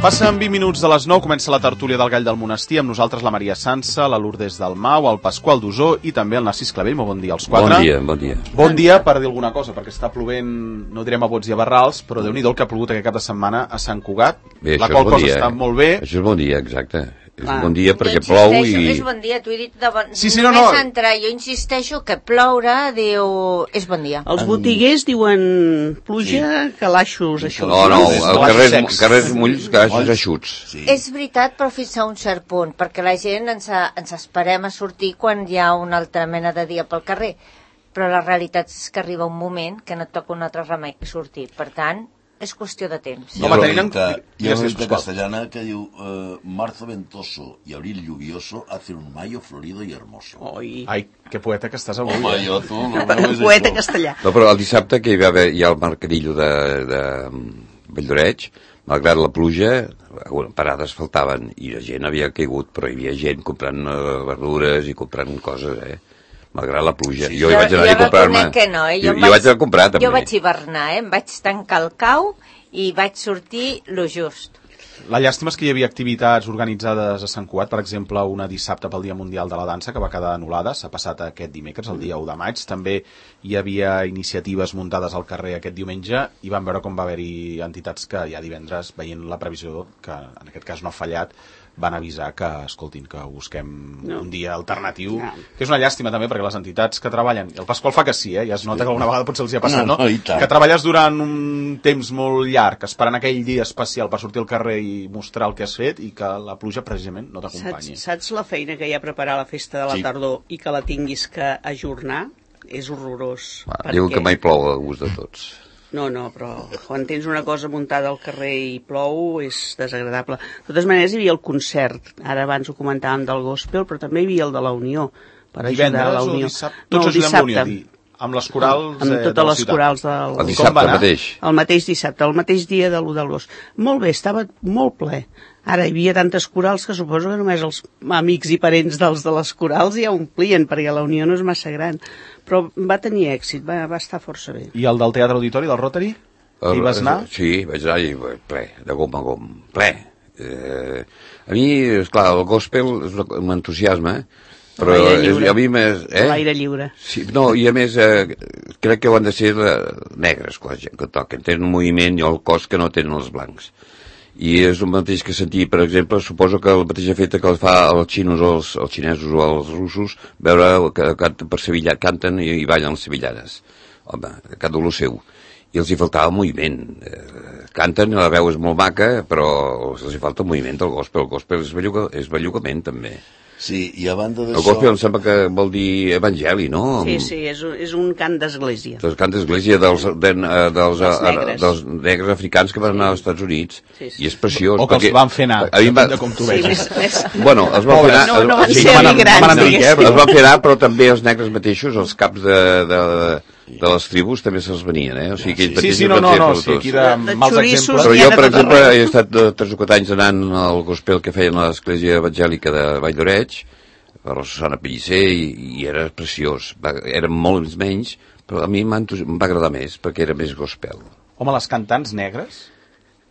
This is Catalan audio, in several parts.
Passen 20 minuts de les 9, comença la tertúlia del Gall del Monestir, amb nosaltres la Maria Sansa, la Lourdes Dalmau, el Pasqual Dusó i també el Narcís Clavell. Molt bon dia als quatre. Bon dia. Bon dia per dir alguna cosa, perquè està plovent, no direm a bots i a barrals, però Déu-n'hi-do el que ha plogut aquest cap de setmana a Sant Cugat, bé, la qual cosa està molt bé. Això és bon dia, exacte. És un bon dia perquè plou i... És bon dia, t'ho he dit de bon... Sí, no. Entrar, jo insisteixo que ploure, diu... És bon dia. Els botiguers diuen pluja, calaixos, això. No, carrers mulls, calaixos eixuts. Sí. És veritat, però fins a un cert punt, perquè la gent ens esperem a sortir quan hi ha una altra mena de dia pel carrer. Però la realitat és que arriba un moment que no et toca un altre remei que sortir. Per tant, és qüestió de temps. Hi ha una dita castellana que diu marzo ventoso y abril lluvioso hacen un mayo florido y hermoso. Ai, que poeta que estàs avui. Home, jo, tu... Poeta castellà. No, però el dissabte que hi ha el mercadillo de Valldoreix, malgrat la pluja, parades faltaven i la gent havia caigut, però hi havia gent comprant verdures i comprant coses, malgrat la pluja. Sí. Jo hi vaig anar a comprar-me... No, jo vaig anar a comprar, també. Jo vaig hivernar, em vaig tancar el cau i vaig sortir lo just. La llàstima és que hi havia activitats organitzades a Sant Cugat, per exemple, una dissabte pel Dia Mundial de la Dansa, que va quedar anul·lada, s'ha passat aquest dimecres, el dia 1 de maig. També hi havia iniciatives muntades al carrer aquest diumenge i vam veure com va haver-hi entitats que ja divendres, veient la previsió, que en aquest cas no ha fallat, van avisar que, escoltin, que busquem un dia alternatiu, que és una llàstima també, perquè les entitats que treballen, i el Pasqual fa que sí, ja es nota que alguna vegada potser els hi ha passat, no? Que treballes durant un temps molt llarg, esperant aquell dia especial per sortir al carrer i mostrar el que has fet, i que la pluja precisament no t'acompanyi. Saps la feina que hi ha a preparar la festa de la tardor i que la tinguis que ajornar? És horrorós. Diu que mai plou a gust de tots. No, però quan tens una cosa muntada al carrer i plou és desagradable. De totes maneres, hi havia el concert. Ara abans ho comentàvem del gospel, però també hi havia el de la Unió. Per ajudar a la Unió. Tots ajudem a la Unió, amb les corals amb totes les corals del... El dissabte mateix. El mateix dissabte, el mateix dia de l'1 d'agost. Molt bé, estava molt ple. Ara hi havia tantes corals que suposo que només els amics i parents dels de les corals ja omplien, perquè la Unió no és massa gran. Però va tenir èxit, va estar força bé. I el del Teatre Auditori, del Rotary? Hi vas anar? Sí, vaig anar i ple, de gom a gom, ple. A mi, esclar, el gospel és un entusiasme, però a mi més... L'aire lliure. Sí, no, i a més crec que ho han de ser negres, la gent que toquen. Tenen un moviment i el cos que no tenen els blancs. I és el mateix que sentir, per exemple, suposo que el mateix efecte que fa els xinesos o els russos, veure que canten i ballen les sevillanes. Home, cada un el seu. I els hi faltava moviment. Canten, la veu és molt maca, però els hi falta moviment del gospel. El gospel és bellugament, també. Sí, i a banda d'això... El gospel em sembla que vol dir evangeli, no? Sí, és un cant d'església. El cant d'església dels negres africans que van anar als Estats Units. Sí. I és preciós. O que els van fer anar, de com tu veus. Bueno, els van fer anar... No van ser emigrants. Els van fer anar, però també els negres mateixos, els caps de les tribus també se'ls venien, o sigui que ells mateixos van ser aquí de mals exemples. Però jo, per exemple, he estat 3 o 4 anys anant al gospel que feien a l'església evangèlica de Valldoreix, per la Susana Pellicer, i era preciós. Eren molts menys, però a mi em va agradar més, perquè era més gospel. Home, les cantants negres,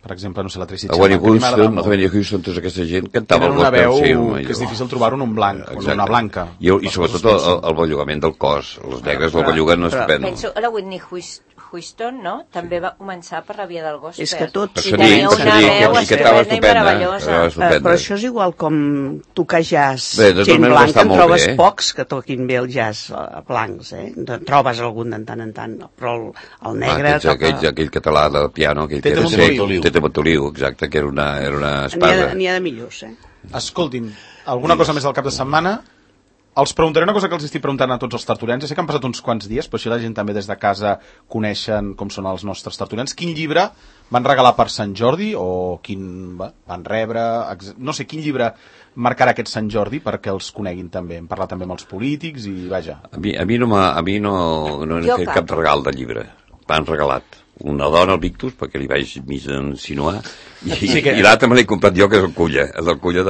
per exemple, no sé, la Tracy Chapman, Whitney Houston, tota aquesta gent cantava el gospel. Tenen una veu que és difícil trobar-ho en un blanc, o en una blanca. I sobretot el bellugament del cos. Les negres el belluguen estupendo. Penso, la Whitney Houston, no? També va començar per la via del gospel. És que tots... I tenia una veu estupenda i meravellosa. Però això és igual com tocar jazz. Gent blanca, en trobes pocs que toquin bé el jazz blancs, trobes algun de tant en tant, però el negre... Aquell català del piano, aquell que era sec, Tete Montoliu, exacte, que era una espasa. N'hi ha de millors, Escoltin, alguna cosa més del cap de setmana? Els preguntaré una cosa que els estic preguntant a tots els tertulians. Ja sé que han passat uns quants dies, però així la gent també des de casa coneixen com són els nostres tertulians. Quin llibre van regalar per Sant Jordi o quin van rebre? No sé, quin llibre marcarà aquest Sant Jordi perquè els coneguin també? Hem parlat també amb els polítics i vaja. A mi no he fet cap regal de llibre. M'han regalat una dona al Victus, perquè li vaig mig insinuar, i l'altre me l'he comprat jo, que és el Culla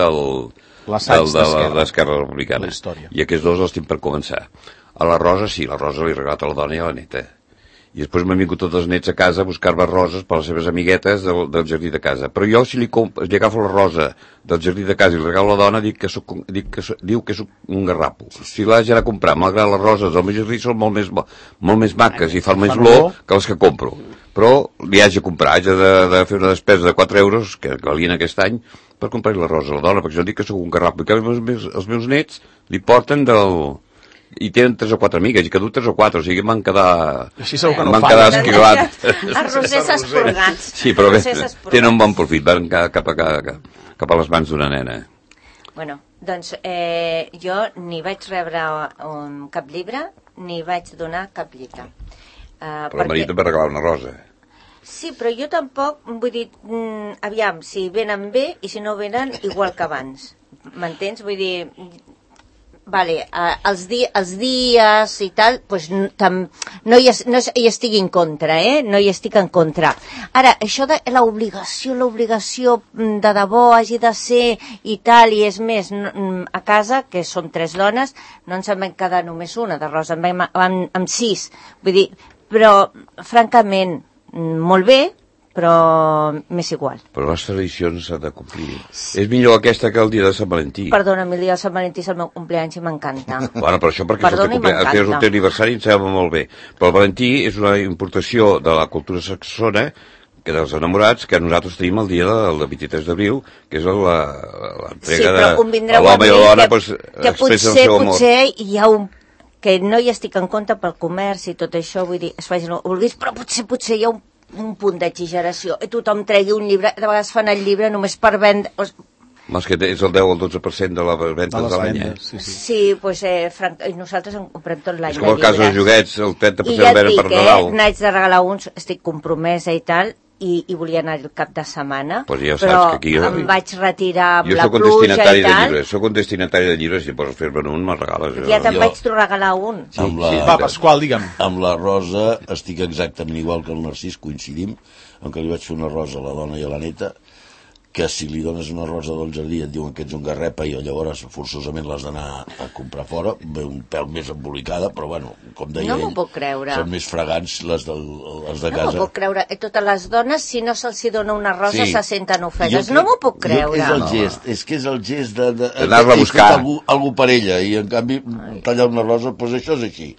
d'Esquerra Republicana. I aquests dos els tinc per començar. A la Rosa, sí, la Rosa li he regalat a la dona i a la neta. I després m'han vingut tots els nets a casa a buscar-me roses per les seves amiguetes del jardí de casa. Però jo, si li agafo la rosa del jardí de casa i li regalo a la dona, diu que soc un garrapo. Si l'haig d'anar a comprar, malgrat les roses del meu jardí són molt més maques i fan més olor que les que compro. Però li haig de comprar, haig de fer una despesa de 4 euros, que valien aquest any, per comprar la rosa a la dona, perquè jo dic que soc un garrapo. I que els meus nets li porten i tenen 3 o 4 amigues, i que du 3 o 4, o sigui, m'han quedat... Així segur que no m'han quedat esquilat. Els rosers esporgats. Sí, però bé, tenen un bon profit, van cap a les mans d'una nena. Bueno, doncs jo ni vaig rebre cap llibre, ni vaig donar cap llibre. Però el marit em va regalar una rosa. Sí, però jo tampoc, vull dir, aviam, si venen bé i si no venen, igual que abans. M'entens? Vull dir... Vale, els dies i tal, pues, no hi estic en contra, no hi estic en contra. Ara, això de l'obligació de debò hagi de ser i tal, i és més, a casa, que som 3 dones, no ens en vam quedar només una de rosa, en vam amb 6. Vull dir, però, francament, molt bé, però m'és igual. Però les tradicions s'han de complir. Sí. És millor aquesta que el dia de Sant Valentí. Perdona'm, el dia de Sant Valentí és el meu compleany i m'encanta. Bueno, però això perquè és el teu aniversari em sembla molt bé. Però el Valentí és una importació de la cultura saxona, que dels enamorats, que nosaltres tenim el dia del 23 d'abril, que és l'entrega de l'home i la dona, que potser hi ha que no hi estic en compte pel comerç i tot això, vull dir, es facin el vulguis, però potser hi ha un punt d'exageració. I tothom tregui un llibre, de vegades fan el llibre només per vendre... Mas que és el 10 o el 12% de la venda de l'any, Sí, doncs nosaltres en comprem tot l'any. És com el cas dels joguets, el 30% el venen per Nadal. I ja et dic, n'haig de regalar uns, estic compromesa i tal, i volia anar el cap de setmana, però em vaig retirar amb la pluja i tal. Soc un destinatari de llibres, si pots fer-me'n un, me'l regales. Ja te'n vaig regalar un. Va, Pasqual, digue'm. Amb la Rosa estic exactament igual que el Narcís, coincidim, en què li vaig fer una rosa a la dona i a la neta, que si li dones una rosa del jardí et diuen que ets un garrepa i llavors forçosament l'has d'anar a comprar fora, un pèl més embolicada, però bueno, com deia no m'ho puc creure. Són més fragants les de casa. No m'ho puc creure. Totes les dones, si no se'ls dona una rosa, se senten ofeses. No m'ho puc creure. És que és el gest de d'anar-la a buscar. Algú per ella, i en canvi tallar una rosa, doncs això és així.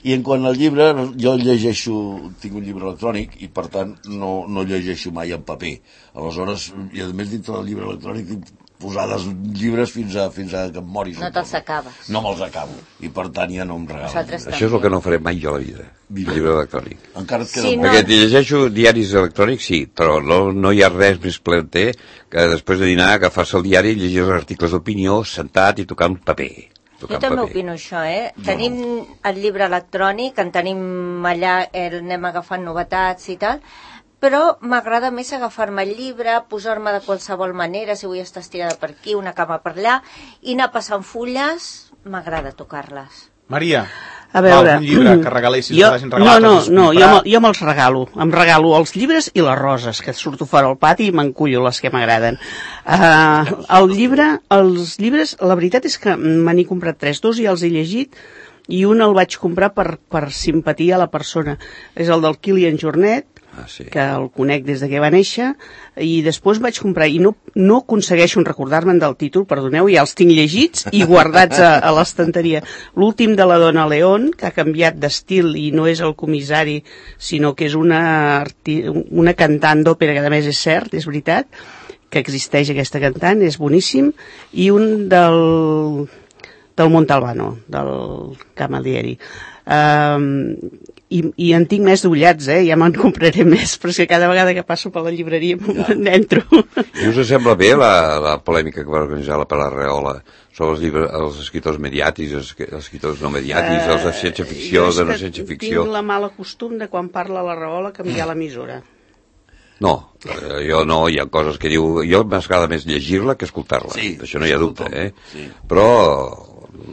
I en quant al llibre, jo llegeixo, tinc un llibre electrònic i per tant no llegeixo mai en paper. Aleshores, i a més dintre del llibre electrònic tinc posades llibres fins a que em mori. No te'ls acabes. No me'ls acabo. I per tant ja no em regalen. Això és el que no faré mai jo a la vida, el llibre electrònic. Encara et queda Perquè llegeixo diaris electrònics, sí, però no hi ha res més plaer que després de dinar agafar-se el diari i llegir els articles d'opinió sentat i tocant paper. Jo també opino això, Tenim el llibre electrònic, en tenim allà, anem agafant novetats i tal, però m'agrada més agafar-me el llibre, posar-me de qualsevol manera, si vull estar estirada per aquí, una cama per allà, i anar passant fulles, m'agrada tocar-les. Maria, a veure, un llibre que regalessis, que t'hagin regalat. No, jo me'ls regalo. Em regalo els llibres i les roses, que surto fora al pati i m'encullo les que m'agraden. Els llibres, la veritat és que me n'he comprat 3, 2 i els he llegit, i un el vaig comprar per simpatia a la persona. És el del Kilian Jornet, que el conec des de que va néixer, i després vaig comprar, i no aconsegueixo recordar-me'n del títol, perdoneu, ja els tinc llegits i guardats a l'estanteria. L'últim de la Dona León, que ha canviat d'estil i no és el comissari, sinó que és una cantant d'òpera, que a més és cert, és veritat, que existeix aquesta cantant, és boníssim, i un del Montalbano, del Camalieri. I en tinc més d'ullats, ja me'n compraré més, però és que cada vegada que passo per la llibreria n'entro. I us sembla bé la polèmica que va organitzar la Palarreola sobre els escriptors mediàtics, els escriptors no mediàtics, els de ciència-ficció, de no ciència-ficció? Tinc la mala costum de quan parla la Reola canviar l'emissora. No, jo no, hi ha coses que diu... Jo m'agrada més llegir-la que escoltar-la, això no hi ha dubte, però...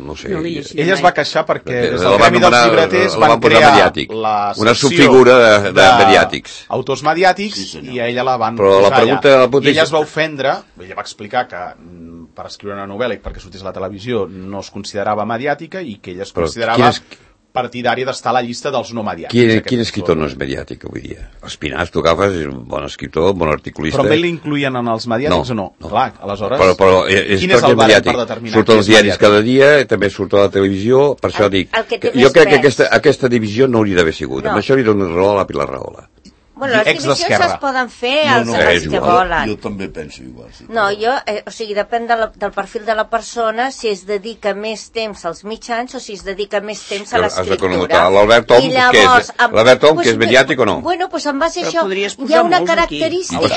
no sé... Ella es va queixar perquè des del Gremi dels Llibreters van crear la una subfigura de mediàtics. Autors mediàtics, i a ella la van posar allà. I ella es va ofendre, ella va explicar que per escriure una novel·la i perquè sortís a la televisió no es considerava mediàtica i que ella es considerava partidari d'estar a la llista dels no mediàtics. Quin escriptor no és mediàtic avui dia? Espinàs, tu agafes, és un bon escriptor, un bon articulista. Però també l'incluïen en els mediàtics o no? Clar, aleshores... Però quin és el barem per determinar? Surt als diaris cada dia, també surt a la televisió, per això dic... Jo crec que aquesta divisió no hauria d'haver sigut. Amb això li dono raó a la Pilar Rahola. Bueno, les divisions es poden fer els que volen. Jo també penso igual. Sí. No, o sigui, depèn del perfil de la persona, si es dedica més temps als mitjans o si es dedica més temps a l'escriptura. L'Albert Om, que és mediàtic o no? Bueno, doncs en base a això hi ha una característica...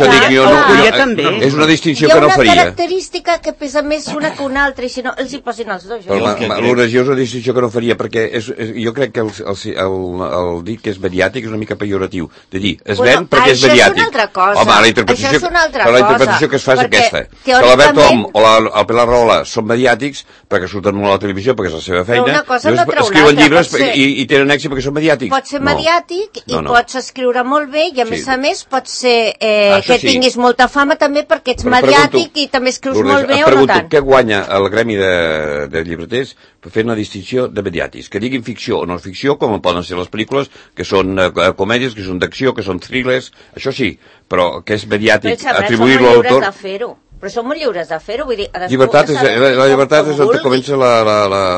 És una distinció que no faria. Hi ha una característica que pesa més una que una altra, i si no, els hi posin els dos. L'oració és una distinció que no faria, perquè jo crec que el dir que és mediàtic és una mica pejoratiu. De dir, es ven perquè és mediàtic. Això és una altra cosa. Home, la interpretació que es fa és aquesta. Que l'Albert Om o el Pilar Rahola són mediàtics perquè surten molt a la televisió, perquè és la seva feina, escriuen llibres i tenen èxit perquè són mediàtics. Pot ser mediàtic i pots escriure molt bé i a més pot ser que tinguis molta fama també perquè ets mediàtic i també escrius molt bé o no tant. Què guanya el gremi de llibreters per fer una distinció de mediàtics? Que diguin ficció o no ficció, com poden ser les pel·lícules, que són comèdies, que són d'acció, que són thrillers, això sí, però que és mediàtic, atribuir-lo a l'autor... Però som molt lliures de fer-ho, vull dir... La llibertat és on comença la...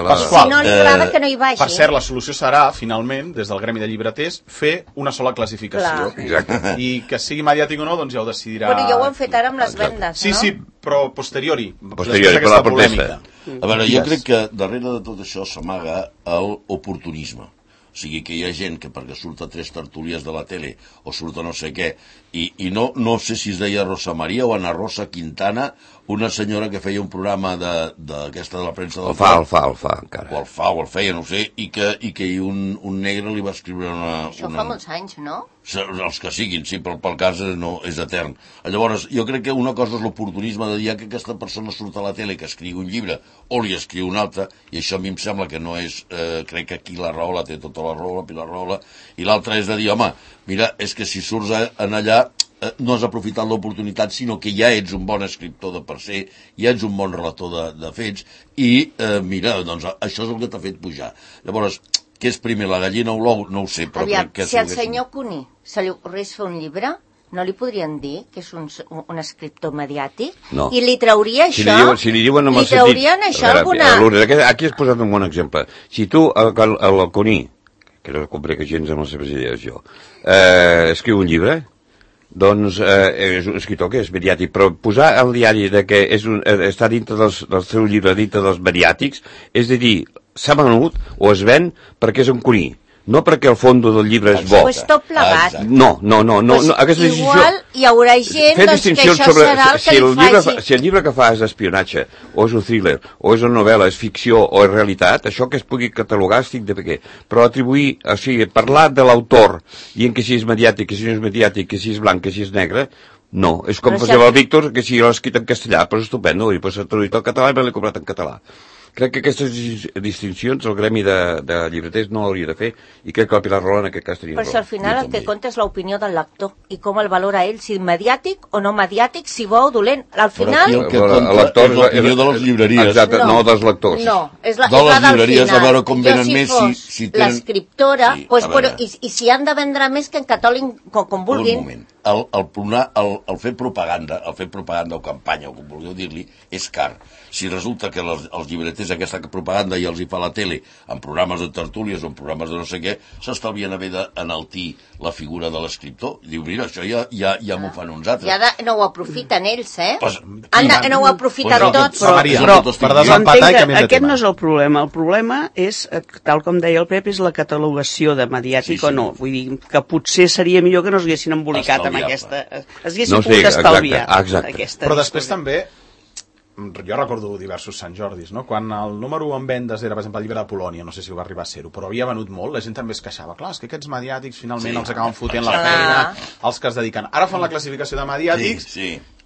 Pasqual, si no li agrada que no hi vagi. Per cert, la solució serà, finalment, des del gremi de llibreters, fer una sola classificació. Exacte. I que sigui mediàtic o no, doncs ja ho decidirà... Bueno, ja ho han fet ara amb les vendes, no? Sí, però posteriori. Posteriori, per la protesta. A veure, jo crec que darrere de tot això s'amaga l'oportunisme. O sigui, que hi ha gent que perquè surt a 3 tertúlies de la tele o surt a no sé què, i no sé si es deia Rosa Maria o Ana Rosa Quintana, una senyora que feia un programa d'aquesta de la premsa del el fa encara. O el feia, no sé, i que un negre li va escriure Això fa molts anys, no? Els que siguin, sí, però pel cas és etern. Llavors, jo crec que una cosa és l'oportunisme de dir que aquesta persona surt a la tele, que escriu un llibre, o li escriu un altre, i això a mi em sembla que no és... crec que aquí la Rahola té tota la raó, la Pilar Rahola, i l'altra és de dir, home, mira, és que si surts en allà no has aprofitat l'oportunitat, sinó que ja ets un bon escriptor de per ser, ja ets un bon relator de fets, i mira, doncs això és el que t'ha fet pujar. Llavors, què és primer, la gallina o l'ou? No ho sé, però crec que... Si al senyor Cuní se li ocorrés fer un llibre, no li podrien dir que és un escriptor mediàtic? No. I li trauria això? Si li diuen en el sentit... Li traurien això alguna... Aquí has posat un bon exemple. Si tu, el Cuní, que no compré que gens amb les seves idees jo, escriu un llibre, doncs és un escriptor que és mediàtic, però posar al diari de que està dintre del seu llibre, dintre dels mediàtics, és a dir, s'ha venut o es ven perquè és un Cuní, no perquè el fons del llibre és bo. Pues tot plegat. No. Igual hi haurà gent que això serà el que li faci. Si el llibre que fa és espionatge, o és un thriller, o és una novel·la, és ficció o és realitat, això que es pugui catalogar estic de què. Però atribuir, o sigui, parlar de l'autor, dient que si és mediàtic, que si no és mediàtic, que si és blanc, que si és negre, no. És com per exemple el Víctor, que si l'ha escrit en castellà, però és estupendo, i s'ha traduït al català i me l'he comprat en català. Crec que aquestes distincions el gremi de llibreters no hauria de fer, i crec que el Pilar Rahola en aquest cas tenia raó. Però si al final el que compta és l'opinió del lector i com el valora ell, si mediàtic o no mediàtic, si bo o dolent. Al final... Però aquí el que compta és l'opinió de les llibreries. Exacte, no dels lectors. No, és la de les llibreries, final. A veure com venen més si tenen... l'escriptora, i si han de vendre més que en catòlic com vulguin. Un moment. El fer propaganda o campanya, o com vulgueu dir-li, és car. Si resulta que els llibreters aquesta propaganda ja els hi fa la tele en programes de tertúlies o en programes de no sé què, s'estalvien haver d'enaltir la figura de l'escriptor. Diu, mira, això ja m'ho fan uns altres. Ja no ho aprofiten ells, no ho aprofiten tots. Però per desempatar i canviem de tema. Aquest no és el problema. El problema és, tal com deia el Pep, és la catalogació de mediàtic o no. Vull dir, que potser seria millor que no s'haguessin embolicat amb aquesta... S'haguessin pogut estalviar. Exacte. Però després també... Jo recordo diversos Sant Jordis, no? Quan el número 1 en vendes era, per exemple, el llibre de Polònia, no sé si ho va arribar a ser-ho, però havia venut molt, la gent també es queixava. Clar, és que aquests mediàtics finalment els acaben fotent la feina, els que es dediquen. Ara fan la classificació de mediàtics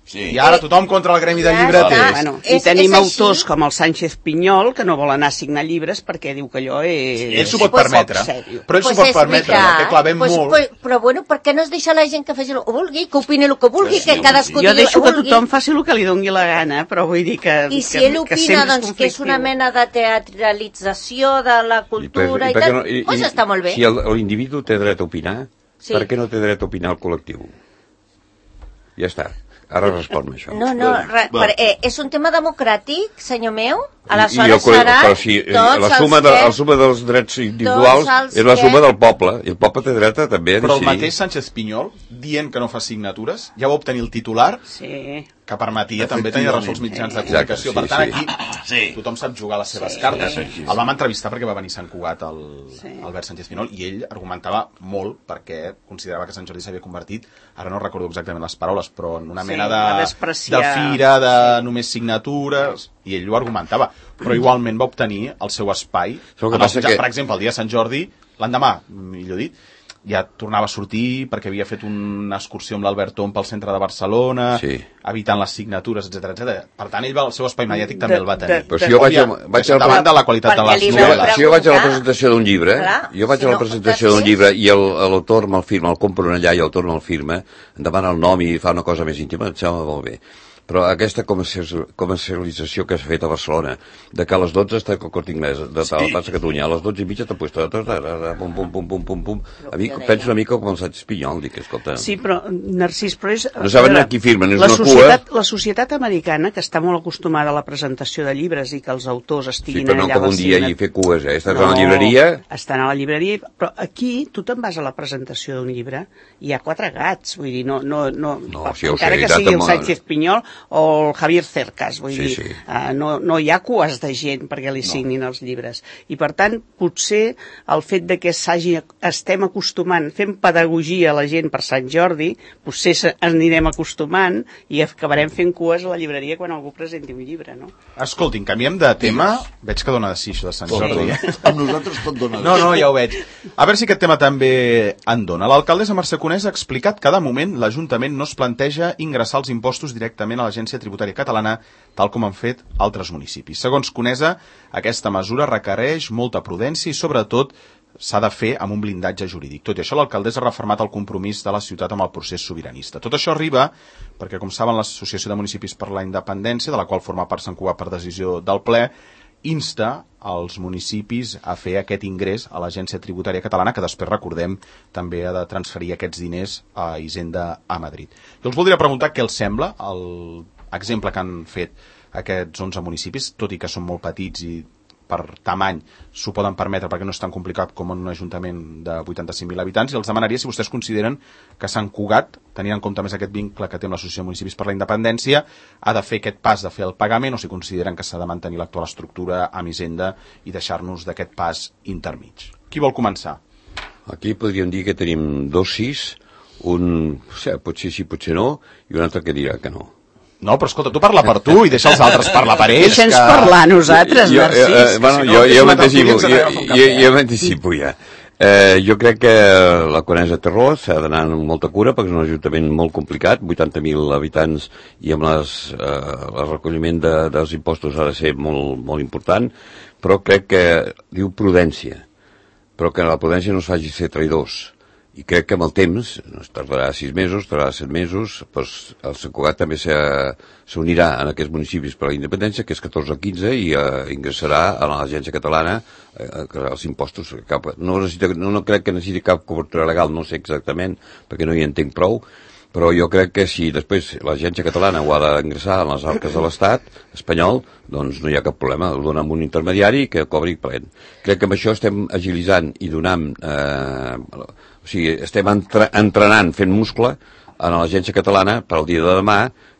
Sí. I ara tothom contra el gremi de Ja llibreters. està. Bueno, És- I tenim és així. autors com el Sánchez Pinyol, que no vol anar a signar llibres perquè diu que allò és... Ell s'ho pot permetre, però ell s'ho pot permetre, que clavem molt. Però bueno, per què no es deixa la gent que faci el que vulgui, que opini el que vulgui, Sí, que cadascú Jo digui el deixo que que vulgui? tothom faci el que li doni la gana, però vull dir que... I si ell opina, sempre doncs, que és una conflictiu. mena de teatralització de la cultura i tal, doncs està molt bé. Si l'individu té dret a opinar, Sí. per què no té dret a opinar el col·lectiu? Ja està. Ara respon-me això. No, és un tema democràtic, senyor meu. I Aleshores el serà però si tots la suma dels drets individuals els és la que- suma del poble, i el poble té dret a també a Però el decidir. mateix Sánchez Pinyol, dient que no fa signatures, ja va obtenir el titular Sí. que permetia també tenir ressò als mitjans de comunicació. Exacte, Per tant, sí, aquí tothom sap jugar les seves cartes. El vam entrevistar perquè va venir Sant Cugat, Albert Sánchez Pinyol, i ell argumentava molt perquè considerava que Sant Jordi s'havia convertit, ara no recordo exactament les paraules, però en una mena a de despreciar. fira, de només signatures, i ell ho argumentava. Però igualment va obtenir el seu espai. Però el que En els passa mitjans, que- Per exemple, el dia de Sant Jordi, l'endemà, millor dit, ja tornava a sortir perquè havia fet una excursió amb l'Albert Tom pel centre de Barcelona, Sí. evitant les signatures, etc. Per tant, ell el seu espai mediàtic també el va tenir. Però si jo vaig a davant de la qualitat de Perquè les li vau novel·les. Si jo vaig a la preguntar. presentació d'un llibre, Clar, jo vaig si a la no, presentació d'un després- llibre i l'autor me'l firma, el compro allà i l'autor me'l firma, em demana el nom i fa una cosa més íntima, em sembla molt bé. Però aquesta comercialització que s'ha fet a Barcelona, de que a les 12 està el Corte Inglés, de tal, passa a Catalunya, a les 12 i mitja t'ha puesto pum, pum, pum, pum, pum, pum. A mi penso una mica com el Sánchez Pinyol, dic, escolta... Sí, però, Narcís, però és... No saben a qui firmen, és la una societat, cua. La societat americana, que està molt acostumada a la presentació de llibres i que els autors Sí, estiguin però no allà... com a la un dia signa- i fer cues, Estàs a la llibreria... Estan a la llibreria, però aquí tu te'n vas a la presentació d'un llibre i hi ha 4 gats, vull dir, no sí, ho encara sé, que tant sigui el amb- Sánchez Pinyol o el Javier Cercas, vull Sí, dir, sí. no hi ha cues de gent perquè li signin els llibres. I per tant, potser el fet de que estem acostumant, fem pedagogia a la gent per Sant Jordi, potser anirem acostumant i acabarem fent cues a la llibreria quan algú presenti un llibre, no? Escoltin, canviem de tema. Veig que dona de sí, això de Sant Jordi. Amb nosaltres tot dona. No, ja ho veig. A veure si aquest tema també en dona. L'alcaldessa Mercè Conesa ha explicat que de moment l'Ajuntament no es planteja ingressar els impostos directament a l'Agència Tributària Catalana, tal com han fet altres municipis. Segons Conesa, aquesta mesura requereix molta prudència i, sobretot, s'ha de fer amb un blindatge jurídic. Tot i això, l'alcaldessa ha refermat el compromís de la ciutat amb el procés sobiranista. Tot això arriba perquè, com saben, l'Associació de Municipis per la Independència, de la qual forma part Sant Cugat per decisió del ple, insta als municipis a fer aquest ingrés a l'Agència Tributària Catalana, que després, recordem, també ha de transferir aquests diners a Hisenda a Madrid. Jo els voldria preguntar què els sembla l'exemple que han fet aquests 11 municipis, tot i que són molt petits i per tamany s'ho poden permetre perquè no és tan complicat com en un ajuntament de 85.000 habitants, i els demanaria si vostès consideren que Sant Cugat, tenint en compte més aquest vincle que té amb l'Associació de Municipis per la Independència, ha de fer aquest pas de fer el pagament, o si consideren que s'ha de mantenir l'actual estructura amb Hisenda i deixar-nos d'aquest pas intermig. Qui vol començar? Aquí podríem dir que tenim 2 sís, potser sí, potser no, i un altre que dirà que no. No, però escolta, tu parla per tu i deixa els altres parlar per ells. Deixa'ns parlar a nosaltres, Narcís. Jo m'anticipo ja. Jo crec que la Conesa té raó, s'ha d'anar amb molta cura perquè és un ajuntament molt complicat, 80.000 habitants, i amb el recolliment dels impostos ha de ser molt, molt important, però crec que diu prudència, però que la prudència no es faci ser traïdors. I crec que amb el temps, es tardarà 6 mesos, tardarà 7 mesos, doncs el Sant Cugat també s'unirà en aquests municipis per la independència, que és 14 o 15, i ingressarà a l'Agència Catalana els impostos. No crec que necessiti cap cobertura legal, no sé exactament, perquè no hi entenc prou, però jo crec que si després l'Agència Catalana ho ha d'ingressar en les arques de l'Estat espanyol, doncs no hi ha cap problema, ho dona amb un intermediari que cobri plen. Crec que amb això estem agilitzant i donant... O sigui, estem entrenant, fent muscle a l'Agència Catalana per al dia de demà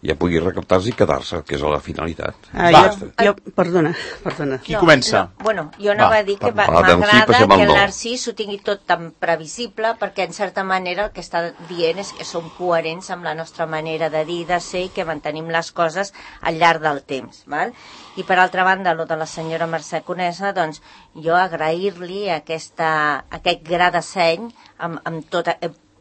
ja pugui recaptar-se i quedar-se, que és la finalitat. Perdona. Qui comença? Jo anava a dir que m'agrada que el Narcís ho tingui tot tan previsible, perquè en certa manera el que està dient és que som coherents amb la nostra manera de dir, de ser, i que mantenim les coses al llarg del temps, val? I per altra banda, lo de la senyora Mercè Conesa, doncs jo agrair-li aquest gra de seny amb tot...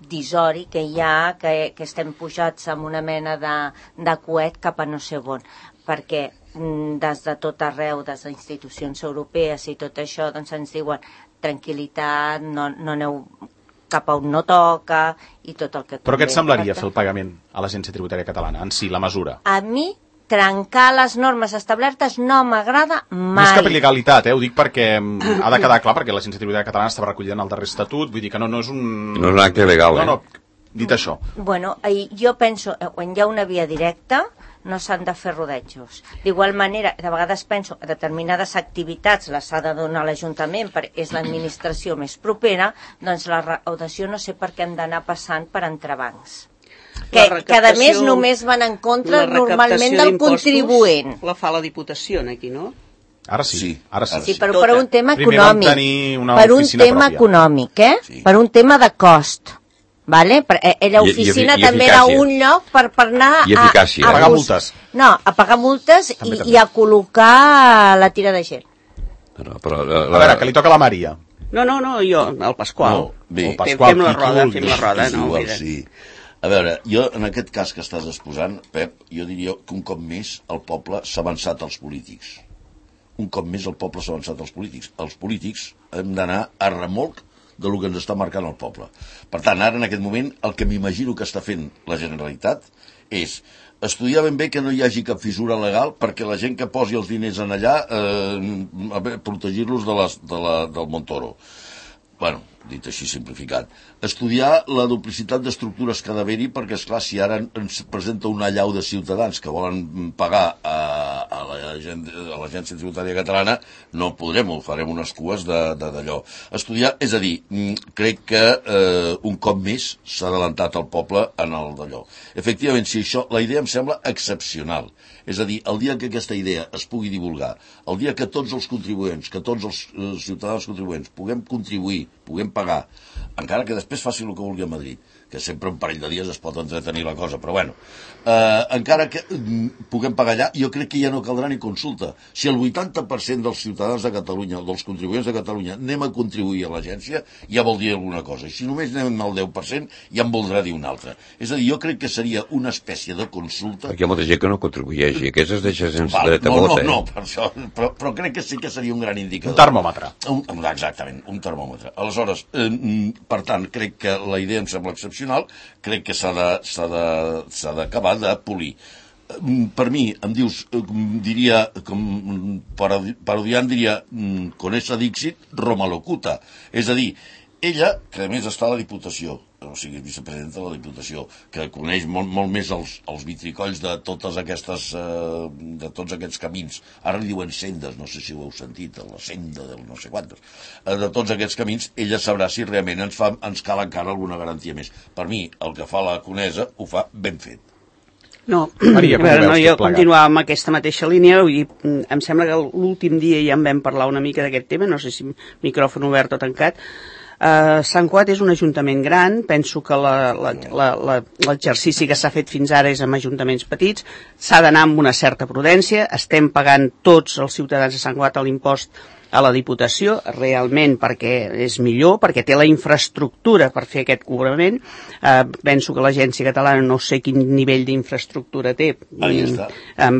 disori que hi ha, que estem pujats amb una mena de coet cap a no sé on, perquè des de tot arreu, des d'institucions europees i tot això, doncs ens diuen tranquil·litat, no aneu cap a on no toca i tot el que... Però què et semblaria fer el pagament a l'Agència Tributària Catalana, en si, la mesura? A mi, trencar les normes establertes no m'agrada mai. No és cap il·legalitat, ho dic perquè ha de quedar clar, perquè l'Agència Tributària Catalana estava recollida en el darrer estatut, vull dir que no és un... No és un acte legal, No, dit això. Bueno, jo penso, quan hi ha una via directa, no s'han de fer rodejos. D'igual manera, de vegades penso que determinades activitats les ha de donar l'Ajuntament perquè és l'administració més propera, doncs la recaudació no sé per què hem d'anar passant per entrebancs. Que a més només van en contra normalment del contribuent. La fa la Diputació aquí, no? Ara sí. Sí, però per un tema econòmic. Per un tema econòmic, Per un tema de cost. Vale? L'oficina també era un lloc per anar a pagar multes. No, a pagar multes i a col·locar la tira de gent. A veure, que li toca a la Maria. No, jo, el Pasqual. Bé, fem la roda. Sí. A veure, jo en aquest cas que estàs exposant, Pep, jo diria que un cop més el poble s'ha avançat als polítics. Un cop més el poble s'ha avançat als polítics. Els polítics hem d'anar a remolc del que ens està marcant el poble. Per tant, ara en aquest moment el que m'imagino que està fent la Generalitat és estudiar ben bé que no hi hagi cap fissura legal perquè la gent que posi els diners en allà protegir-los del Montoro. Bueno, dit així simplificat. Estudiar la duplicitat d'estructures que ha d'haver-hi perquè, esclar, si ara ens presenta una allau de ciutadans que volen pagar a l'Agència Tributària Catalana, no podrem, ho farem unes cues d'allò. Estudiar, és a dir, crec que un cop més s'ha adelantat el poble en el d'allò. Efectivament, si això, la idea em sembla excepcional. És a dir, el dia que aquesta idea es pugui divulgar, el dia que tots els contribuents, que tots els ciutadans contribuents puguem contribuir, puguem pagar, encara que després faci el que vulgui a Madrid, que sempre un parell de dies es pot entretenir la cosa, però bueno, encara que puguem pagar allà, jo crec que ja no caldrà ni consulta. Si el 80% dels ciutadans de Catalunya, dels contribuents de Catalunya, anem a contribuir a l'agència, ja vol dir alguna cosa. I si només anem al 10%, ja en voldrà dir una altra. És a dir, jo crec que seria una espècie de consulta... Perquè hi ha molta gent que no contribueix i aquests es deixa sense dret a vot, No, per això, però crec que sí que seria un gran indicador. Un termòmetre. Exactament, un termòmetre. Aleshores, per tant, crec que la idea em sembla excepcional, crec que s'ha d'acabar de polir. Per mi, em dius, diria, com parodiant diria, con esa Dixit, Roma locuta. És a dir, ella, que a més està a la Diputació, o sigui, és vicepresidenta de la Diputació, que coneix molt més els vitricolls de totes aquestes, de tots aquests camins. Ara li diuen sendes, no sé si ho heu sentit, la senda del no sé quantos. De tots aquests camins, ella sabrà si realment ens cal encara alguna garantia més. Per mi, el que fa la Conesa ho fa ben fet. No, Maria, jo continuava amb aquesta mateixa línia, i em sembla que l'últim dia ja en vam parlar una mica d'aquest tema, no sé si micròfon obert o tancat. Sant Cugat és un ajuntament gran, penso que l'exercici que s'ha fet fins ara és amb ajuntaments petits, s'ha d'anar amb una certa prudència, estem pagant tots els ciutadans de Sant Cugat l'impost a la Diputació, realment perquè és millor, perquè té la infraestructura per fer aquest cobrament. Penso que l'Agència Catalana no sé quin nivell d'infraestructura té,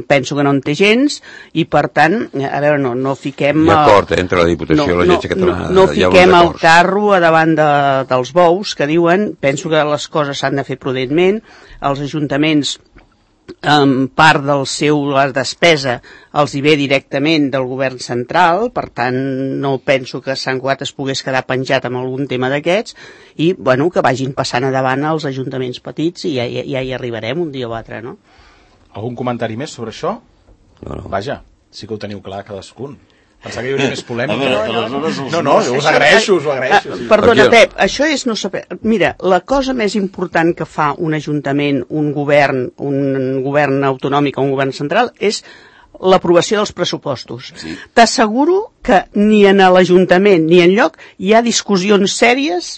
penso que no en té gens, i per tant, a veure, no fiquem... Hi ha acord entre la Diputació i l'Agència Catalana. No fiquem el carro a davant dels bous, que diuen, penso que les coses s'han de fer prudentment, els ajuntaments part del seu despesa els hi ve directament del govern central, per tant no penso que Sant Cugat es pogués quedar penjat amb algun tema d'aquests, i bueno, que vagin passant endavant els ajuntaments petits i ja hi arribarem un dia o altre, no? Algun comentari més sobre això? No. Vaja, sí que ho teniu clar cadascun. Pensava que hi hauria més polèmica. No, us agraeixo. Perdona, Pep, això és no saber... Mira, la cosa més important que fa un ajuntament, un govern autonòmic o un govern central és l'aprovació dels pressupostos. Sí. T'asseguro que ni en l'Ajuntament ni enlloc hi ha discussions sèries,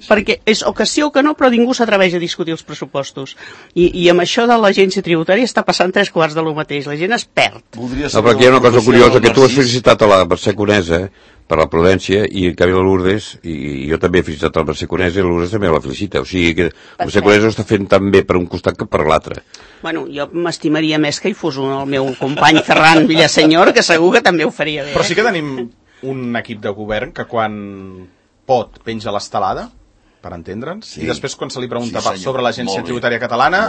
perquè és o que sí o que no, però ningú s'atreveix a discutir els pressupostos. I amb això de l'Agència Tributària està passant 3/4 de lo mateix, la gent es perd. No, però aquí hi ha una cosa curiosa, que tu has felicitat a la Mercè Conesa per la prudència, i en canvi la Lourdes, i jo també he felicitat el Mercè Conesa, i la Lourdes també la felicita. O sigui que el Mercè Conesa ho està fent tan bé per un costat que per l'altre. Bueno, jo m'estimaria més que hi fos el meu company Ferran Villasenyor, que segur que també ho faria bé. Però sí que tenim un equip de govern que quan pot penja l'estelada, per entendre'ns, i després quan se li pregunta sobre l'Agència Tributària Catalana,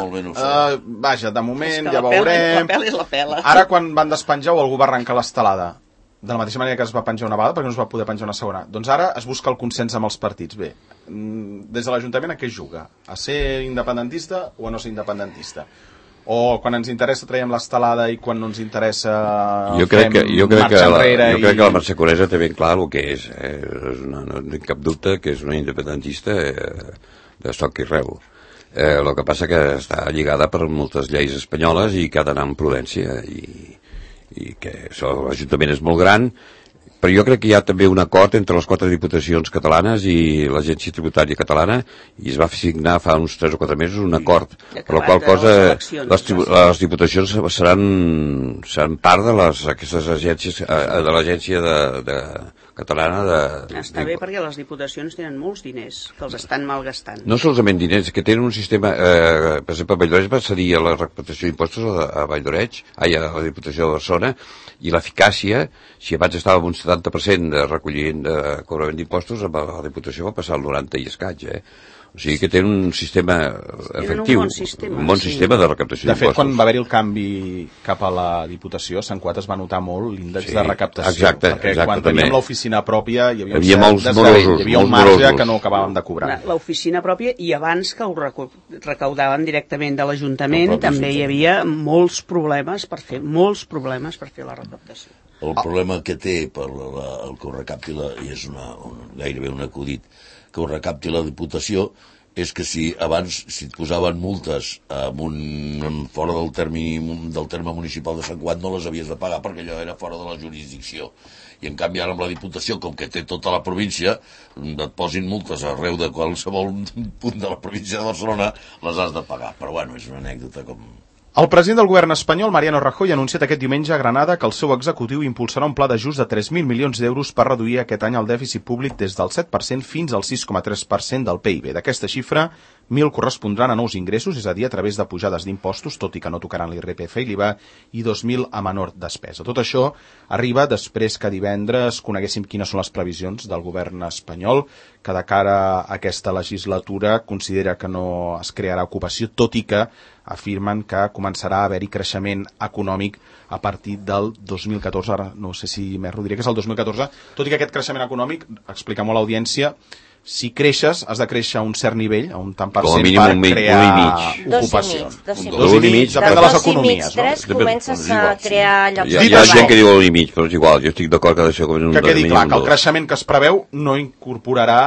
vaja, de moment ja veurem. La pela és la pela. Ara quan van despenjar o algú va arrencar l'estelada, de la mateixa manera que es va penjar una vegada perquè no es va poder penjar una segona, doncs ara es busca el consens amb els partits. Bé, des de l'Ajuntament a què es juga? A ser independentista o a no ser independentista? O quan ens interessa traiem l'estelada i quan no ens interessa fem marxa enrere? Jo crec que la Mercè Conesa té ben clar el que és. No tinc cap dubte que és una independentista de soc i reu. El que passa que està lligada per moltes lleis espanyoles i que ha d'anar amb prudència i que l'Ajuntament és molt gran, però jo crec que hi ha també un acord entre les 4 diputacions catalanes i l'Agència Tributària Catalana, i es va signar fa uns 3 o 4 mesos un acord, per la qual cosa les diputacions seran part de aquestes agències, de l'Agència Catalana Està bé perquè les diputacions tenen molts diners que els estan malgastant. No solament diners, que tenen un sistema, per exemple, a Valldoreig va cedir a la recaptació d'impostos a Valldoreig, a la Diputació de Barcelona, i l'eficàcia, si abans estava amb un 70% de recolliment de cobrament d'impostos, a la Diputació va passar al 90 i escaig, O sigui que tenen un sistema efectiu, un bon sistema de recaptació d'impostos. De fet, quan va haver-hi el canvi cap a la Diputació, a Sant Cuat es va notar molt l'índex de recaptació. Exacte, perquè quan teníem l'oficina pròpia hi havia molts morosos. Hi havia un marge que no acabàvem de cobrar. L'oficina pròpia, i abans que ho recaudaven directament de l'Ajuntament, també hi havia molts problemes per fer la recaptació. El problema que té per el que ho recapti, i és gairebé un acudit, que ho recapti la Diputació, és que si abans et posaven multes fora del terme municipal de Sant Cuat, no les havies de pagar perquè allò era fora de la jurisdicció. I en canvi ara amb la Diputació, com que té tota la província, et posin multes arreu de qualsevol punt de la província de Barcelona, les has de pagar. Però bueno, és una anècdota com... El president del govern espanyol, Mariano Rajoy, ha anunciat aquest diumenge a Granada que el seu executiu impulsarà un pla d'ajust de 3.000 milions d'euros per reduir aquest any el dèficit públic des del 7% fins al 6,3% del PIB. D'aquesta xifra, 1.000 correspondran a nous ingressos, és a dir, a través de pujades d'impostos, tot i que no tocaran l'IRPF i l'IVA, i 2.000 a menor despesa. Tot això arriba després que divendres coneguéssim quines són les previsions del govern espanyol, que de cara a aquesta legislatura considera que no es crearà ocupació, tot i que afirmen que començarà a haver-hi creixement econòmic a partir del 2014, ara no sé si m'erro, diré que és el 2014, tot i que aquest creixement econòmic, explica molt l'audiència, si creixes, has de créixer a un cert nivell, a un tant per cent, per crear ocupació. 2,5. Depèn de les economies. 3 comences a crear llocs de treball. Hi ha gent que diu 1,5, però és igual, jo estic d'acord que ha de ser com un 2,5. Que quedi clar que el creixement que es preveu no incorporarà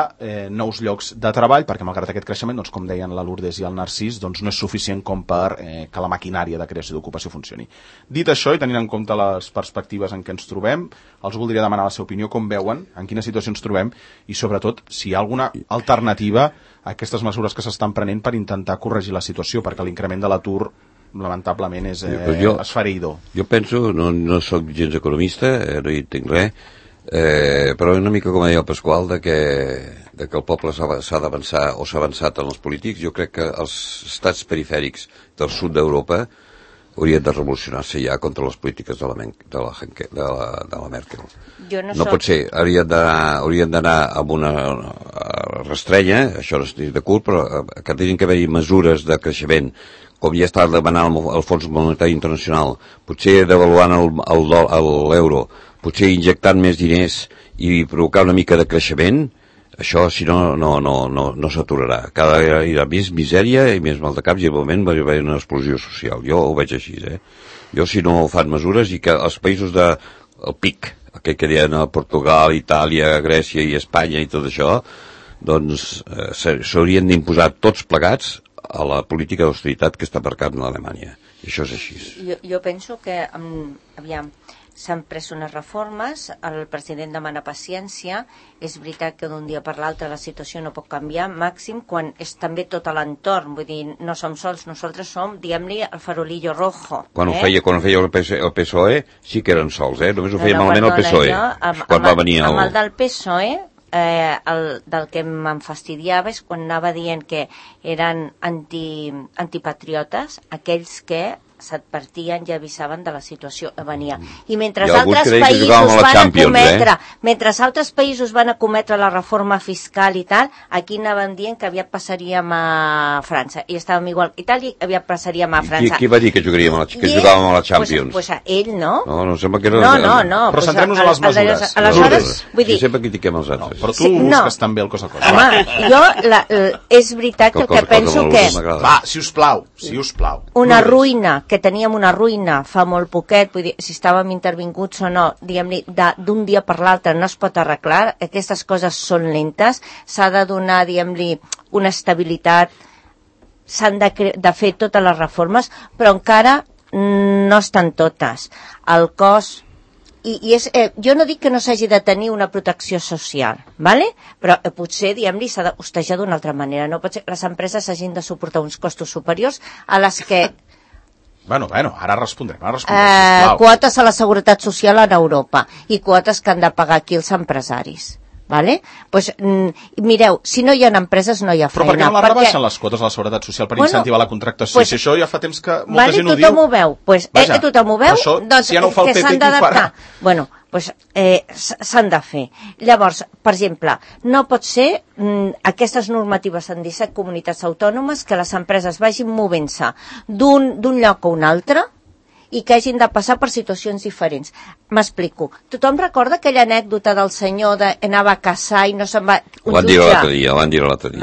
nous llocs de treball, perquè malgrat aquest creixement, doncs, com deien la Lourdes i el Narcís, doncs, no és suficient com per que la maquinària de creació d'ocupació funcioni. Dit això, i tenint en compte les perspectives en què ens trobem, els voldria demanar la seva opinió, com veuen, en quina situació ens trobem, i sobretot, si hi ha alguna alternativa a aquestes mesures que s'estan prenent per intentar corregir la situació, perquè l'increment de l'atur lamentablement és esfereïdor. Jo penso, no soc gens economista, no hi entenc res, però una mica com deia el Pasqual, de que el poble s'ha d'avançar o s'ha avançat en els polítics. Jo crec que els estats perifèrics del sud d'Europa haurien de revolucionar-se ja contra les polítiques de la Merkel. No pot ser, haurien d'anar amb una restrenya, això no estic d'acord, però que tenen que haver-hi mesures de creixement, com ja està demanant el Fons Monetari Internacional, potser devaluant l'euro, potser injectant més diners i provocar una mica de creixement. Això, si no s'aturarà. Cada vegada hi ha més misèria i més mal de caps, i al moment va haver una explosió social. Jo ho veig així, Jo, si no fan mesures, i que els països del PIC, aquell que deien Portugal, Itàlia, Grècia i Espanya i tot això, doncs s'haurien d'imposar tots plegats a la política d'austeritat que està marcant l'Alemanya. I això és així. Jo penso que, aviam, s'han pres unes reformes, el president demana paciència, és veritat que d'un dia per l'altre la situació no pot canviar, màxim quan és també tot a l'entorn, vull dir, no som sols, nosaltres som, diguem-li, el farolillo rojo. Quan ho feia el PSOE, sí que eren sols, només ho feia malament el PSOE. Quan va venir amb el del PSOE, del que em fastidiava és quan anava dient que eren antipatriotes aquells que s'advertien i avisaven de la situació que venia. I mentre altres països van acometre la reforma fiscal i tal, aquí anàvem dient que aviat passaríem a França. I estàvem igual que Itàlia, aviat passaríem a França. Qui va dir que jugàvem a la Champions? Pues ell, no? No, sembla que era... No. Però centrem-nos a les mesures. Aleshores, vull dir... Sempre critiquem els altres. Però tu busques també el cos a cos. Home, jo, és veritat que el que penso que... Va, si us plau. Una ruïna, que teníem una ruïna fa molt poquet, vull dir, si estàvem intervinguts o no, diguem-li, d'un dia per l'altre no es pot arreglar, aquestes coses són lentes, s'ha de donar, diguem-li, una estabilitat, s'han de fer totes les reformes, però encara no estan totes. El cos... jo no dic que no s'hagi de tenir una protecció social, ¿vale? Però potser, diguem-li, s'ha de hostejar d'una altra manera. No pot ser que les empreses hagin de suportar uns costos superiors a les que... Bueno, ara respondrem, sisplau. Quotes a la seguretat social en Europa i quotes que han de pagar aquí els empresaris. Vale? Pues, mireu, si no hi ha empreses no hi ha feina. Però per què no la rebaixen les quotes a la seguretat social per incentivar la contractació? Pues, si això ja fa temps que molta gent ho diu. Tothom ho veu. Tothom ho veu, això, doncs si ja no ho fa el PP, qui ho farà? Bueno, pues, s'han de fer. Llavors, per exemple, no pot ser aquestes normatives en 17 comunitats autònomes que les empreses vagin movent-se d'un lloc a un altre i que hagin de passar per situacions diferents. M'explico. Tothom recorda aquella anècdota del senyor de anava a caçar i no se'n va... Ho van dir l'altre dia,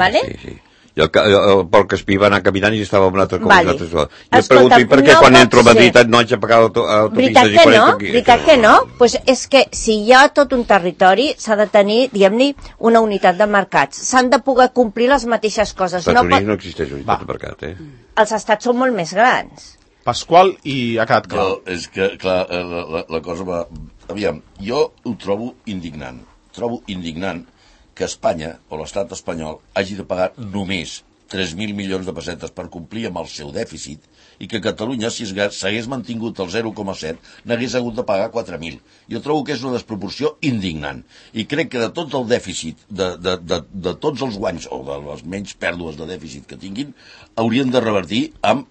vale? Sí. I el Pol Caspí va anar caminant i estava en una altra cosa. Vale. Jo et pregunto, i per què quan entro a Madrid no haig de pagar l'autopista diferent? Veritat que no? Pues és que si hi ha tot un territori s'ha de tenir, diguem-ne, una unitat de mercats. S'han de poder complir les mateixes coses. Als Estats Units no existeix unitat de mercat, Els estats són molt més grans. Pasqual, i ha quedat clar. És que, clar, la cosa va... Aviam, jo ho trobo indignant. Trobo indignant que Espanya, o l'estat espanyol, hagi de pagar només 3.000 milions de pessetes per complir amb el seu dèficit i que Catalunya, si s'hagués mantingut el 0,7, n'hagués hagut de pagar 4.000. Jo trobo que és una desproporció indignant. I crec que de tot el dèficit, de tots els guanys, o de les menys pèrdues de dèficit que tinguin, haurien de revertir amb,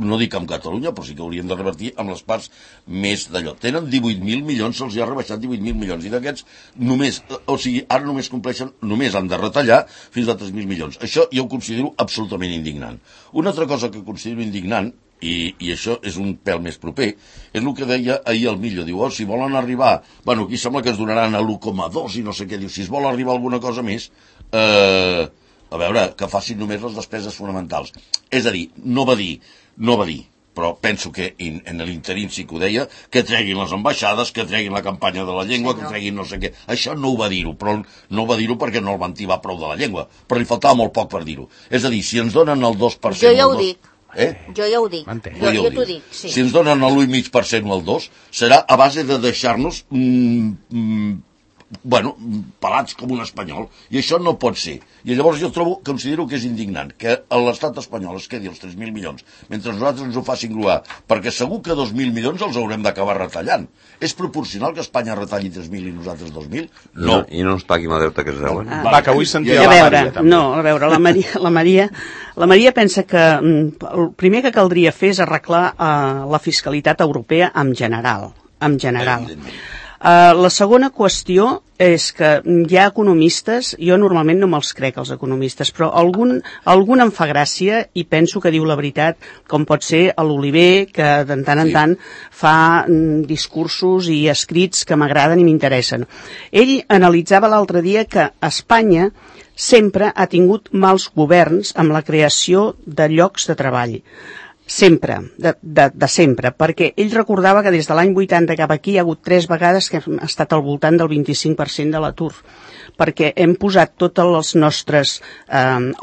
no dic amb Catalunya, però sí que haurien de revertir amb les parts més d'allò. Tenen 18.000 milions, se'ls ha rebaixat 18.000 milions, i d'aquests només, o sigui, ara només compleixen, només han de retallar fins a 3.000 milions. Això jo ho considero absolutament indignant. Una altra cosa que considero indignant, i això és un pèl més proper, és el que deia ahir el Millo. Diu, si volen arribar... Bueno, aquí sembla que es donaran a l'1,2 i no sé què. Diu, si es vol arribar a alguna cosa més... a veure, que facin només les despeses fonamentals. És a dir, no va dir, però penso que en l'interín sí que ho deia, que treguin les ambaixades, que treguin la campanya de la llengua, que treguin no sé què. Això no ho va dir-ho, però no ho va dir-ho perquè no el van tibar prou de la llengua, però li faltava molt poc per dir-ho. És a dir, si ens donen el 2%... Jo ja ho dic. Jo ja ho dic. Jo t'ho dic, sí. Si ens donen l'1,5% o el 2%, serà a base de deixar-nos... pelats com un espanyol, i això no pot ser. I llavors jo considero que és indignant que l'estat espanyol es quedi els 3.000 milions mentre nosaltres ens ho facin gruar, perquè segur que 2.000 milions els haurem d'acabar retallant. És proporcional que Espanya retalli 3.000 i nosaltres 2.000? No. I no ens paguin el deute que es deuen. Va, que avui sentia la Maria, també. No, a veure, la Maria pensa que el primer que caldria fer és arreglar la fiscalitat europea en general. La segona qüestió és que hi ha economistes, jo normalment no me'ls crec els economistes, però algun em fa gràcia i penso que diu la veritat, com pot ser l'Oliver, que de tant en tant fa discursos i escrits que m'agraden i m'interessen. Ell analitzava l'altre dia que Espanya sempre ha tingut mals governs amb la creació de llocs de treball. sempre, de sempre, perquè ell recordava que des de l'any 80 cap aquí hi ha hagut 3 vegades que hem estat al voltant del 25% de l'atur, perquè hem posat tots els nostres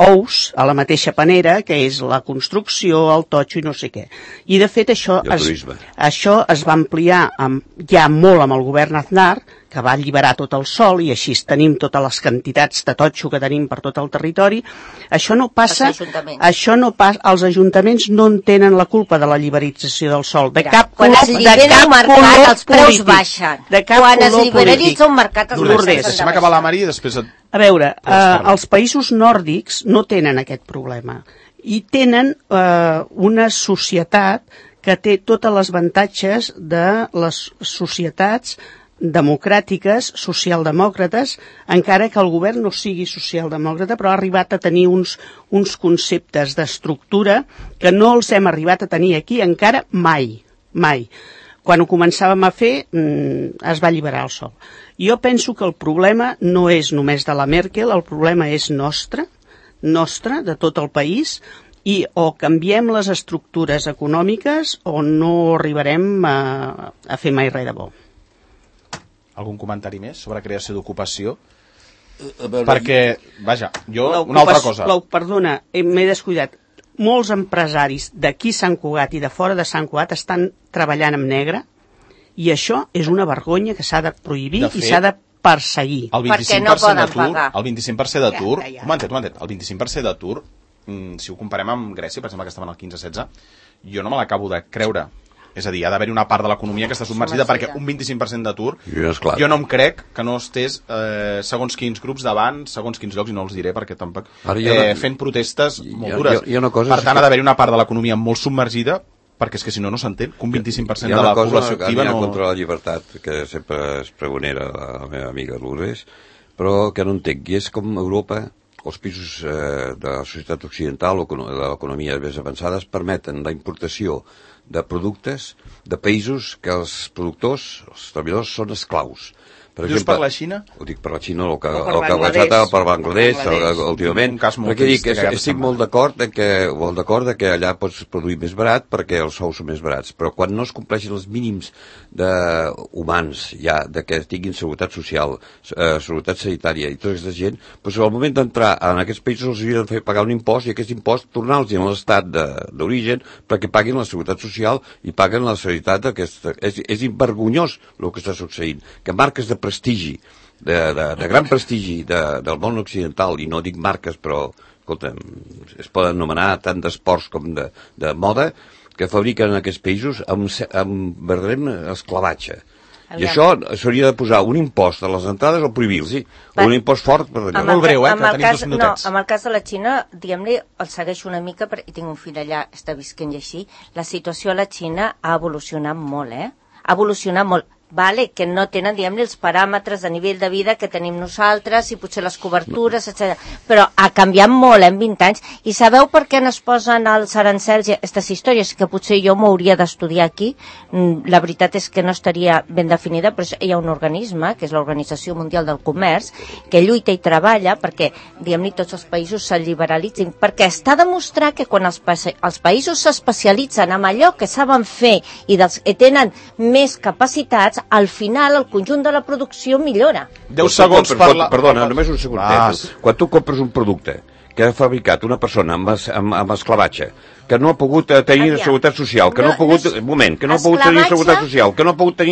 ous a la mateixa panera, que és la construcció, el totxo i no sé què. I de fet això es va ampliar ja molt amb el govern Aznar, que va alliberar tot el sòl i així tenim totes les quantitats de totxo que tenim per tot el territori. Això no passa, els ajuntaments no en tenen la culpa de la liberalització del sòl, de cap color polític. Els preus baixen. Quan es liberalitza un mercat, els preus baixen. Deixem acabar la Mari i després... A veure, els països nòrdics no tenen aquest problema i tenen una societat que té tots els avantatges de les societats democràtiques, socialdemòcrates, encara que el govern no sigui socialdemòcrata, però ha arribat a tenir uns conceptes d'estructura que no els hem arribat a tenir aquí encara mai. Quan ho començàvem a fer, es va alliberar el sol. Jo penso que el problema no és només de la Merkel, el problema és nostre, de tot el país, i o canviem les estructures econòmiques o no arribarem a fer mai res de bo. Algun comentari més sobre creació d'ocupació? Perquè, vaja, una altra cosa. Perdona, m'he descuidat. Molts empresaris d'aquí Sant Cugat i de fora de Sant Cugat estan treballant amb negre i això és una vergonya que s'ha de prohibir i s'ha de perseguir. Perquè no poden pagar. El 25% d'atur, un momentet, el 25% d'atur, si ho comparem amb Grècia, per exemple, que estaven al 15-16, jo no me l'acabo de creure. És a dir, ha d'haver-hi una part de l'economia que està submergida perquè un 25% d'atur, jo no em crec que no estés segons quins grups davant, segons quins llocs, i no els diré perquè tampoc, fent protestes molt dures. Per tant, ha d'haver-hi una part de l'economia molt submergida perquè és que si no, no s'entén que un 25% de la població activa no... Hi ha una cosa contra la llibertat, que sempre es pregonera la meva amiga Lourdes, però que no entenc, i és com Europa, els països de la societat occidental o de l'economia més avançades permeten la importació de productes de països que els productors, els treballadors, són esclaus. Dius per la Xina? Ho dic per la Xina, el que ha passat per Bangladesh, últimament. Perquè dic, estic molt d'acord que allà pots produir més barat perquè els sous són més barats, però quan no es compleixen els mínims humans ja, de que tinguin seguretat social, seguretat sanitària i tota aquesta gent, doncs al moment d'entrar en aquests països els havien de fer pagar un impost i aquest impost tornar-los a l'estat d'origen perquè paguin la seguretat social i paguen la sanitat. És vergonyós el que està succeint, que marques de prestigi, de gran prestigi del món occidental, i no dic marques, però escolta, es poden anomenar tant d'esports com de moda, que fabriquen en aquests països amb verdader esclavatge. I això s'hauria de posar un impost a les entrades o prohibir-los, un impost fort per allò. Molt breu, que tenim 2 minutets. En el cas de la Xina, diguem-li, el segueixo una mica, i tinc un fill allà, està visquent i així, la situació a la Xina ha evolucionat molt, ha evolucionat molt. Vale, que no tenen, diguem-ne, els paràmetres de nivell de vida que tenim nosaltres i potser les cobertures, etc. Però ha canviat molt en 20 anys. I sabeu per què no es posen els arancels i aquestes històries? Que potser jo m'ho hauria d'estudiar aquí. La veritat és que no estaria ben definida, però hi ha un organisme, que és l'Organització Mundial del Comerç, que lluita i treballa perquè, diguem-ne, tots els països se'n liberalitzin. Perquè està demostrat que quan els països s'especialitzen en allò que saben fer i tenen més capacitats, al final el conjunt de la producció millora. 10 segons per la... Perdona, només un segon. Quan tu compres un producte que ha fabricat una persona amb esclavatge, que no ha pogut tenir seguretat social, que no ha pogut... Un moment, que no ha pogut tenir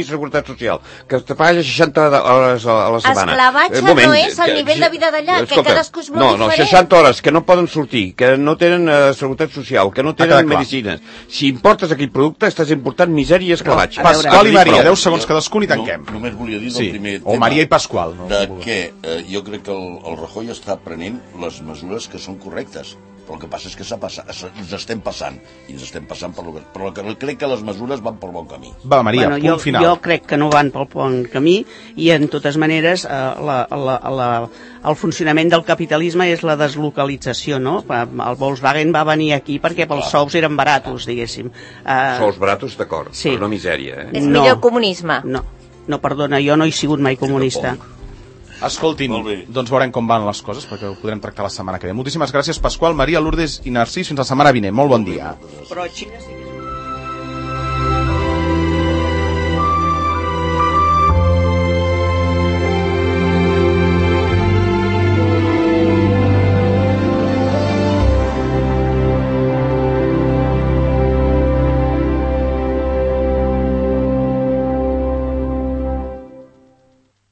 seguretat social, que te paga 60 hores a la setmana. Esclavatge no és el nivell de vida d'allà, que cadascú és molt diferent. 60 hores, que no poden sortir, que no tenen seguretat social, que no tenen medicines. Si importes aquell producte, estàs important misèria i esclavatge. Pasqual i Maria, 10 segons cadascun i tanquem. Només volia dir del primer tema... O Maria i Pasqual. Que jo crec que el Rajoy està prenent les mesures que són correctes. Però el que passa és que ens estem passant, i ens estem passant però crec que les mesures van pel bon camí. Va, Maria, punt final. Jo crec que no van pel bon camí, i en totes maneres el funcionament del capitalisme és la deslocalització, no? El Volkswagen va venir aquí perquè pels sous eren baratos, diguéssim. Sous baratos, d'acord, però no misèria. És millor comunisme. No, perdona, jo no he sigut mai comunista. Escoltin, doncs veurem com van les coses, perquè ho podrem tractar la setmana que ve. Moltíssimes gràcies, Pasqual, Maria, Lourdes i Narcís. Fins la setmana vinent. Molt bon dia. Però Xina sí que